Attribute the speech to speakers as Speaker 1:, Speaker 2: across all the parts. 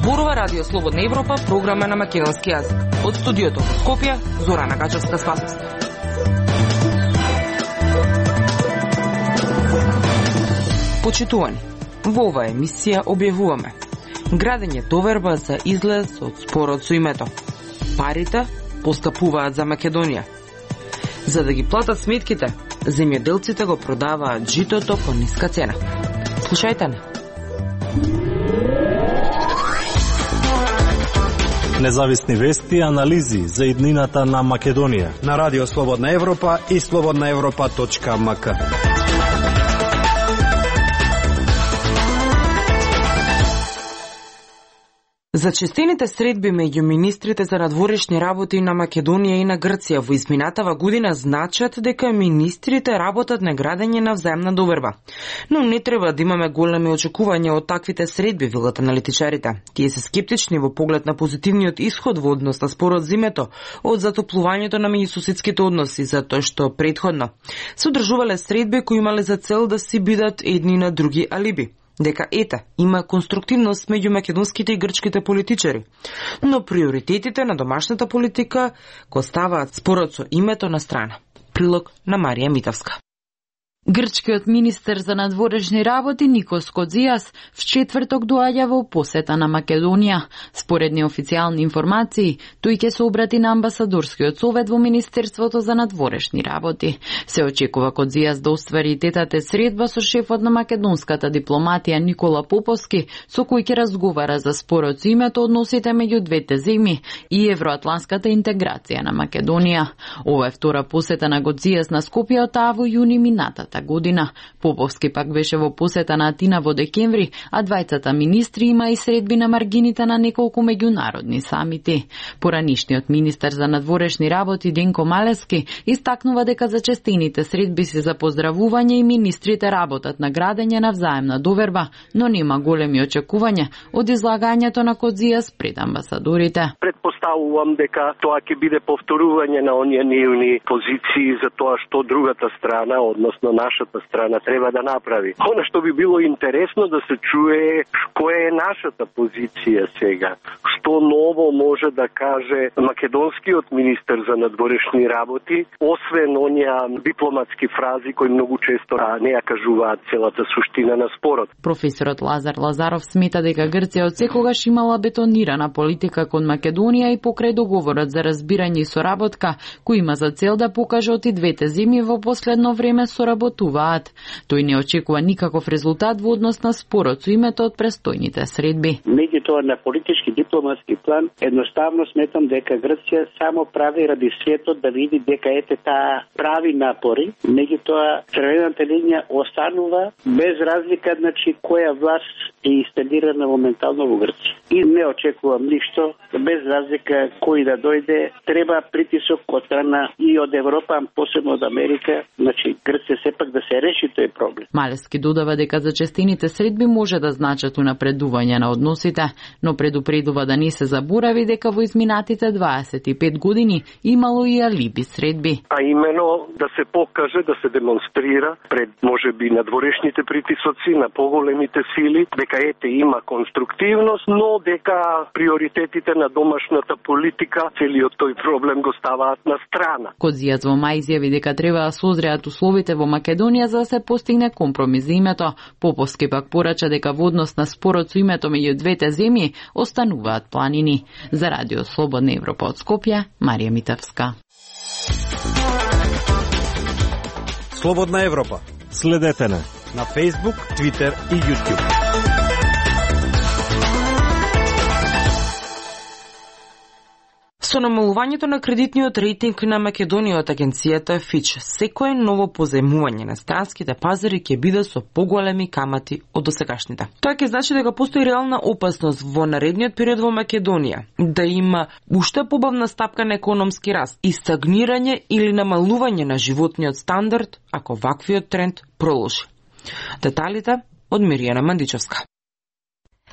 Speaker 1: Зборува Радио Слободна Европа, програма на македонски јазик. Од студиото во Скопје, Зорана Гачевска-Спасовска. Почитувани, во оваа емисија објавуваме градење доверба за излез од спорот со името. Парите поскапуваат за Македонија. За да ги платат сметките, земјоделците го продаваат житото по ниска цена. Слушајте не.
Speaker 2: Независни вести и анализи за иднината на Македонија
Speaker 3: на Радио Слободна Европа и slobodnaevropa.mk.
Speaker 1: Зачестените средби меѓу министрите за надворешни работи на Македонија и на Грција во изминатава година значат дека министрите работат на градење на взаемна доверба. Но не треба да имаме големи очекувања од таквите средби, велат аналитичарите. Тие се скептични во поглед на позитивниот исход во однос на спорот за името од затоплувањето на меѓусоседските односи, затоа што предходно се одржувале средби кои имале за цел да си бидат едни на други алиби. Дека има конструктивност меѓу македонските и грчките политичари, но приоритетите на домашната политика го ставаат спорот со името на страна. Прилог на Марија Митовска.
Speaker 4: Грчкиот министер за надворешни работи Никос Кодзијас в четврток доаѓа во посета на Македонија. Според неофицијални информации, тој ќе се обрати на амбасадорскиот совет во Министерството за надворешни работи. Се очекува Кодзијас да оствари тетате средба со шефот на македонската дипломатија Никола Поповски, со кој ќе разговара за спорот со името, односите меѓу двете земји и евроатланската интеграција на Македонија. Ова е втора посета на Кодзијас на Скопје од таа во јуни минатата година. Поповски пак беше во посета на Атина во декември, а двајцата министри има и средби на маргините на неколку меѓународни самити. Поранишниот министер за надворешни работи Денко Малески истакнува дека зачестените средби се за поздравување и министрите работат на градење на взаемна доверба, но нема големи очекувања од излагањето на Кодзијас пред амбасадорите.
Speaker 5: Предпоставувам дека тоа ќе биде повторување на оние нивни позиции за тоа што другата страна, односно нашата страна, треба да направи. Она што би било интересно да се чуе која е нашата позиција сега. Што ново може да каже македонскиот министер за надворешни работи, освен оние дипломатски фрази кои многу често не ја кажуваат целата суштина на спорот.
Speaker 4: Професорот Лазар Лазаров смета дека Грција од секогаш имала бетонирана политика кон Македонија и покрај договорот за разбирање и соработка, кој има за цел да покаже оти двете земји во последно време соработуваат. Тој не очекува никаков резултат во однос на спорот со името од престојните средби.
Speaker 6: Меѓутоа на политички дипломатски план едноставно сметам дека Грција само прави ради светот да види дека таа прави напори, меѓутоа црвената линија останува без разлика која власт е инсталирана моментално во Грција. И не очекувам ништо, без разлика кој да дојде, треба притисок од страна и од Европа, посебно од Америка, Грција сепак да се реши тој проблем.
Speaker 4: Малески додава дека зачестените средби може да значат унапредување на односите, но предупредува да не се заборави дека во изминатите 25 години имало и алиби средби.
Speaker 5: А именно да се покаже, да се демонстрира пред можеби надворешните притисоци на поголемите сили, дека има конструктивност, но дека приоритетите на домашната политика целиот тој проблем го ставаат на страна.
Speaker 4: Кодзијас во мај изјави дека треба да созреат условите во Македонија за да се постигне компромис за името. Поповски пак порача дека во однос на спорот со името меѓу двете земји остануваат планини. За Радио Слободна Европа од Скопје, Марија Митовска.
Speaker 3: Слободна Европа.
Speaker 2: Следете на
Speaker 3: Facebook, Twitter и YouTube.
Speaker 1: Со намалувањето на кредитниот рейтинг на Македонија од агенцијата Fitch, секое ново позајмување на странските пазари ќе биде со поголеми камати од досегашните. Тоа ќе значи дека постои реална опасност во наредниот период во Македонија да има уште побавна стапка на економски раст и стагнирање или намалување на животниот стандард ако ваквиот тренд продолжи. Деталите од Миријана Мандичевска.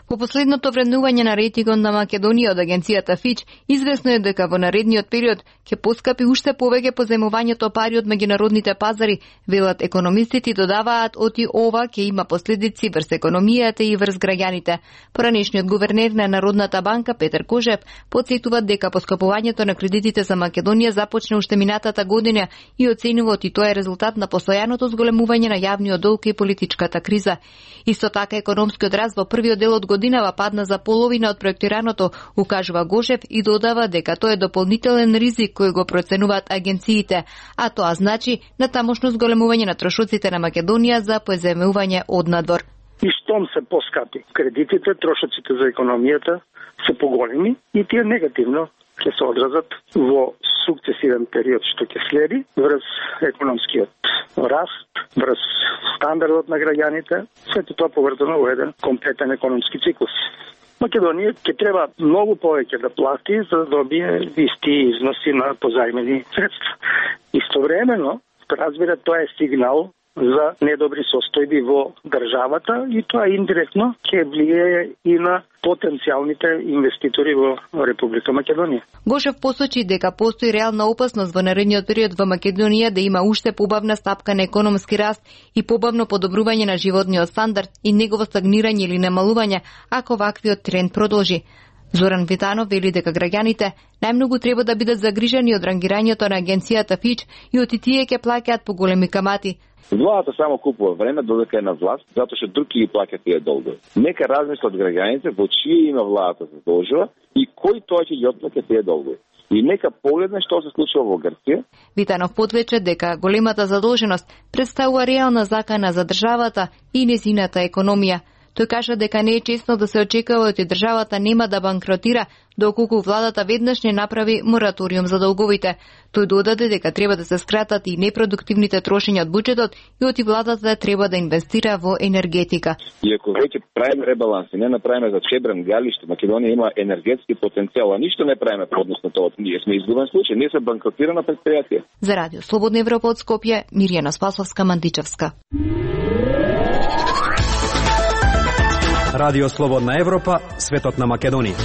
Speaker 7: По последното вреднување на рейтингот на Македонија од агенцијата Фич, известно е дека во наредниот период ќе поскапи уште повеќе позајмувањето пари од меѓународните пазари, велат економистите, додаваат оти ова ќе има последици врз економијата и врз граѓаните. Поранешниот гувернер на Народната банка Петер Кожев потсетува дека поскапувањето на кредитите за Македонија започна уште минатата година и оценува оти тоа е резултат на постојаното зголемување на јавниот долг и политичката криза. Исто така економскиот раст во првиот дел од годинава падна за половина од проектираното, укажува Гошев и додава дека тоа е дополнителен ризик кој го проценуваат агенциите, а тоа значи натамошно зголемување на трошоците на Македонија за позајмување од надвор.
Speaker 8: И штом се поскапи кредитите, трошоците за економијата се поголеми и тие негативно ќе се одразат во сукцесивен период што ќе следи врз економскиот раст, врз стандардот на граѓаните, сето тоа поврзано во еден комплетен економски циклус. Македонија ќе треба многу повеќе да плати за да добие исти износи на позајмени средства. Истовремено, разбира, тоа е сигнал за недобри состојби во државата и тоа индиректно ќе влијае и на потенцијалните инвеститори во Република Македонија.
Speaker 7: Гошев посочи дека постои реална опасност во наредниот период во Македонија да има уште побавна стапка на економски раст и побавно подобрување на животниот стандард и негово стагнирање или намалување ако ваквиот тренд продолжи. Зоран Витанов вели дека граѓаните најмногу треба да бидат загрижени од рангирањето на агенцијата Фич и оти тие ќе плаќаат поголеми камати.
Speaker 9: Владата само купува време додека е на власт, затоа што други ги плаќаат тие долгови. Нека размислат граѓаните во чие име владата се задолжува и кој тоа ќе ги отплаќа тие долгови. И нека погледне што се случува во Грција.
Speaker 7: Витанов подлече дека големата задолженост представува реална закана за државата и нејзината економија. Тој кажа дека не е честно да се очекува дека државата нема да банкротира доколку владата веднаш не направи мораториум за долговите. Тој додаде дека треба да се скратат и непродуктивните трошења од буџетот и оти владата треба да инвестира во енергетика.
Speaker 9: И ако веќе правиме ребаланс и не направиме за Чебран, Галиште, Македонија има енергетски потенцијал, а ништо не правиме по однос на тоа, ние сме изгубен случај, ние се банкротирано претпријатие.
Speaker 7: За Радио Слободна Европа од Скопје, Мирјана Спасовска, Мандичевска.
Speaker 3: Радио Слободна Европа, светот на Македонија.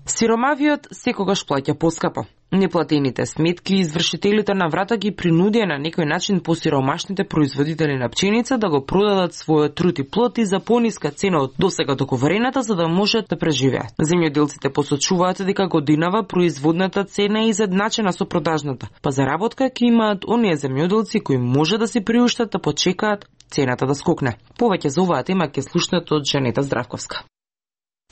Speaker 1: Сиромавиот секогаш плаќа поскапо. Неплатените сметки извршителите на врата ги принудија на некој начин посиромашните производители на пченица да го продадат својот труд и плод и за пониска цена од досега договорената за да можат да преживеат. Земјоделците посочуваат дека годинава производната цена е изедначена со продажната, па заработка ќе имаат оние земјоделци кои може да си приуштат да почекаат цената да скокне. Повеќе за оваа тема ќе слушнете од Жанета Здравковска.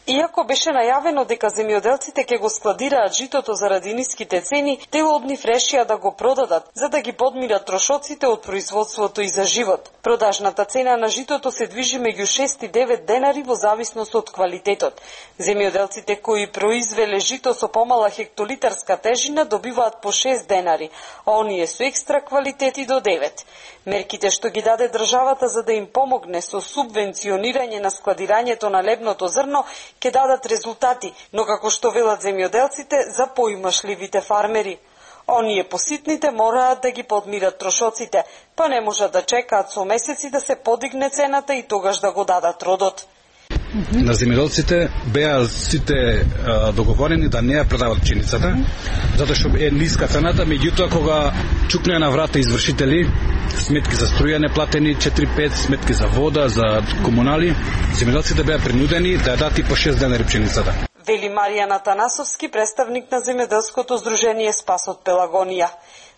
Speaker 10: Иако беше најавено дека земјоделците ќе го складираат житото заради ниските цени, дел од нив решија да го продадат, за да ги подмират трошоците од производството и за живот. Продажната цена на житото се движи меѓу 6 и 9 денари во зависност од квалитетот. Земјоделците кои произвеле жито со помала хектолитарска тежина добиваат по 6 денари, а оние со екстра квалитети до 9. Мерките што ги даде државата за да им помогне со субвенционирање на складирањето на лебното зрно ќе дадат резултати, но како што велат земјоделците за поимашливите фармери. Оние поситните мораат да ги подмират трошоците, па не можат да чекаат со месеци да се подигне цената и тогаш да го дадат родот.
Speaker 11: На земјоделците беа сите договорени да не ја продават пченицата, затоа што е ниска цената, меѓутоа кога чукнеа на врата извршители, сметки за струја неплатени, 4-5 сметки за вода, за комунали, земјоделците беа принудени да ја дадат и по 6 денари пченицата.
Speaker 10: Вели Маријан Атанасовски, представник на земјоделското здружение Спас од Пелагонија.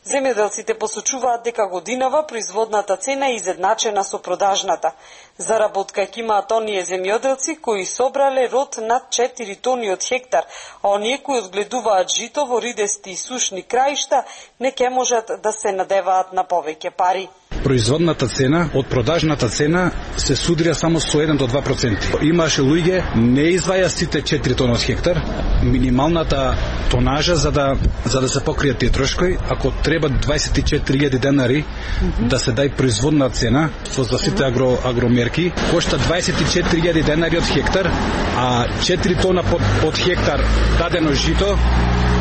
Speaker 10: Земјоделците посочуваат дека годинава производната цена е изедначена со продажната. Заработка ќе имаат оние земјоделци кои собрале род над 4 тони од хектар, а оние кои одгледуваат жито во ридести и сушни краишта не ќе можат да се надеваат на повеќе пари.
Speaker 11: Производната цена од продажната цена се судрија само со 1 до 2%. Имаше луѓе не изваја сите 4 тони од хектар, минималната тонажа за да се покријат тие трошкови, ако треба 24.000 денари да се дај производна цена за сите агромерки, кошта 24.000 денари од хектар, а 4 тона од хектар дадено жито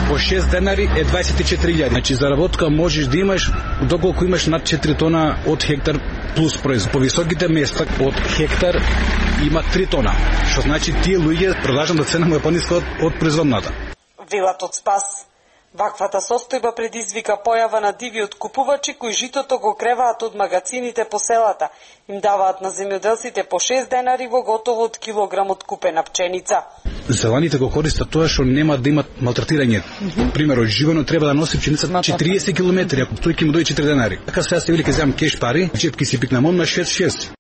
Speaker 11: по 6 денари е 24.000. Значи заработка можеш да имаш доколку имаш над 4 тона од хектар плюс производ. По високите места од хектар има 3 тона, што значи тие луѓе продажната цена му е пониска од производната.
Speaker 10: Велат од Спас. Ваквата состојба предизвика појава на диви откупувачи кои житото го креваат од магазините по селата. Им даваат на земјоделците по 6 денари во готово од килограм откупена пченица.
Speaker 11: Зеланите го користат тоа што нема да имат малтретирање. Пример, од живено треба да носи пченица 40 километри, ако тој ќе му дојде 4 денари. Така сега се вели ке земам кеш пари, чепки си пикнам на 6.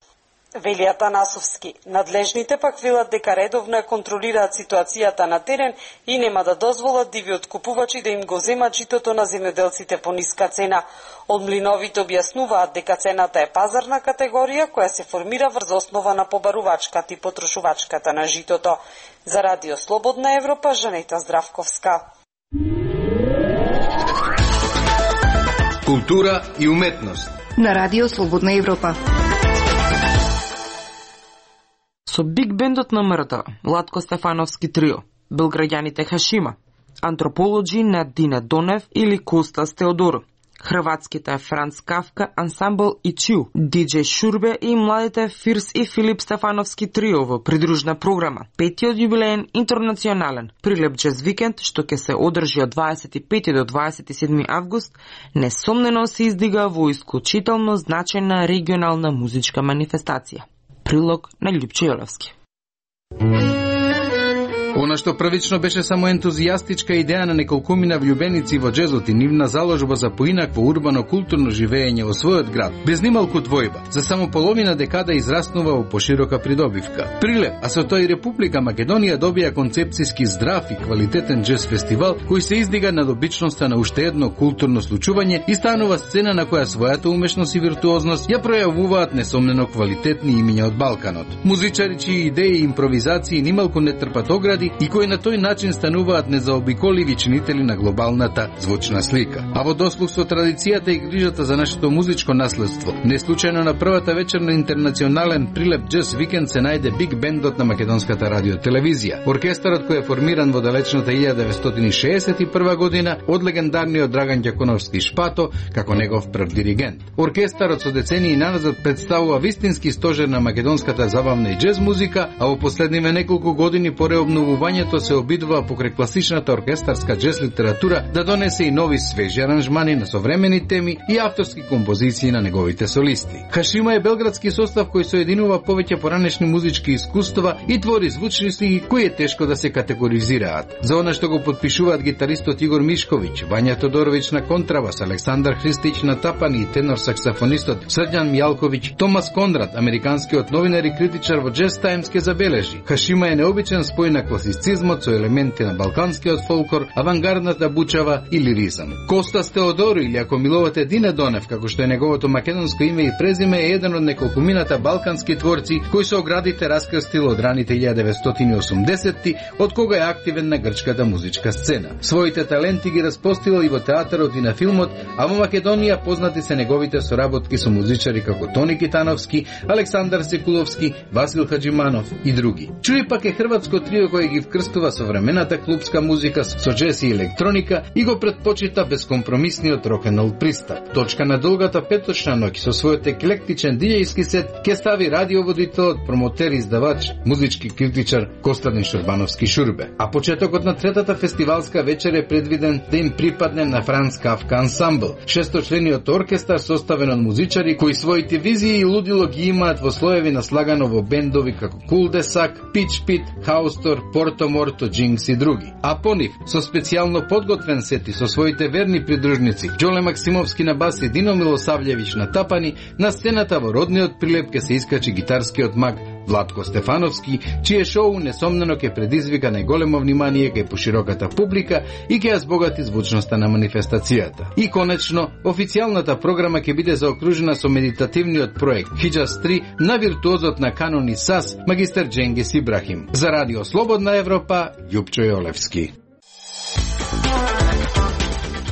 Speaker 10: Вели Атанасовски. Надлежните пак велат дека редовно контролираат ситуацијата на терен и нема да дозволат диви откупувачи да им го земат житото на земјоделците по ниска цена. Од млиновите објаснуваат дека цената е пазарна категорија која се формира врз основа на побарувачката и потрошувачката на житото. За Радио Слободна Европа, Жанета Здравковска.
Speaker 12: Култура и уметност.
Speaker 7: На Радио Слободна Европа.
Speaker 1: Со биг бендот на МРТ, Владко Стефановски трио, белграѓаните Хашима, антрополоджи Надина Донев или Костас Теодоро, хрватските Франц Кафка, ансамбл Ичиу, диџеј Шурбе и младите Фирс и Филип Стефановски трио во придружна програма, петиот јубилеен интернационален прилеп джез викенд, што ќе се одржи од 25 до 27 август, несомнено се издига во исклучително значајна регионална музичка манифестација. Прилог на Љупче Јолевски.
Speaker 12: Она што првично беше само ентузијастичка идеја на неколкумина влюбеници во джезот и нивна заложба за поинакво урбано-културно живење во својот град, без нималку двојба, за само половина декада израснува во поширока придобивка. Прилеп, а со тој Република Македонија добија концепцијски здрав и квалитетен джез фестивал, кој се издига над обичноста на уште едно културно случување и станува сцена на која својата умешност и виртуозност ја пројавуваат несомнено квалитетни имиња од Балканот. Музичари чии идеи и импровизации нималку не трпат огради и кои на тој начин стануваат незаобиколиви чинители на глобалната звучна слика. А во дослуг со традицијата и грижата за нашето музичко наследство, неслучајно на првата вечер на интернационален прилеп джез викенд се најде биг бендот на македонската радиотелевизија. Оркестарот кој е формиран во далечната 1961 година од легендарниот Драган Ѓаконовски Шпато како негов прв диригент. Оркестарот со децении наназад представува вистински стожер на македонската забавна и джез музика, а во последниве неколку години по реобновувањето се обидува покрај класичната оркестарска джез литература да донесе и нови свежи аранжмани на современи теми и авторски композиции на неговите солисти. Хашима е белградски состав кој соединува повеќе поранешни музички искуства и твори звучни слики кои е тешко да се категоризираат. За она што го потпишуваат гитаристот Игор Мишковиќ, Вања Тодоровиќ на контрабас, Александар Христич на тапани и тенор саксофонистот Срđan Мјалковиќ, Томас Кондрат, американскиот новинар и критичар во Jazz Times ке забележи: Хашима е необичен спој на класицизмот со елементи на балканскиот фолклор, авангардната бучава и лиризам. Костас Теодоро, или ако милувате Дина Донев, како што е неговото македонско име и презиме, е еден од неколкумината балкански творци кои се оградите раскрстил од раните 1980-ти, од кога е активен на грчката музичка сцена. Своите таленти ги распостил и во театарот и на филмот, а во Македонија познати се неговите соработки со музичари како Тони Китановски, Александар Секуловски, Васил Хаджиманов и други. Чуи пак е хрватско трио кој ги вкрстува современата клубска музика со джез и електроника и го предпочита безкомпромисниот рок-н-рол пристап. Точка на долгата петочна ноќ со својот еклектичен диџејски сет ке стави радиоводителот, промотер и издавач, музички критичар Костадин Шурбановски Шурбе. А почетокот на третата фестивалска вечер е предвиден да им припадне на Франц Кафка ансамбл, шесточлениот оркестар составен од музичари кои своите визии и лудило ги имаат во слоеви наслагано во бендови како Кулдесак, Пич Пит, Хаустор, Порто Морто, Джинкс и други. А по нив, со специјално подготвен сет и со своите верни придружници, Џоле Максимовски на бас и Дино Милосављевиќ на тапани, на сцената во родниот прилеп ке се искачи гитарскиот маг Владко Стефановски, чие шоу несомнено ќе предизвика најголемо внимание кај пошироката публика и ќе ја збогати звучноста на манифестацијата. И конечно, официјалната програма ќе биде заокружена со медитативниот проект Хиџас 3 на виртуозот на канони САС, магистер Џенгис Ибрахим. За Радио Слободна Европа, Љупчо Јолевски.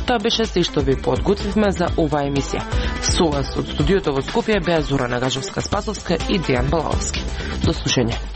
Speaker 1: Тоа беше се што ви подготвивме за оваа емисија. Со вас од студиото во Скопје беа Зора Нагажовска-Спасовска и Дејан Балаовски. До слушање.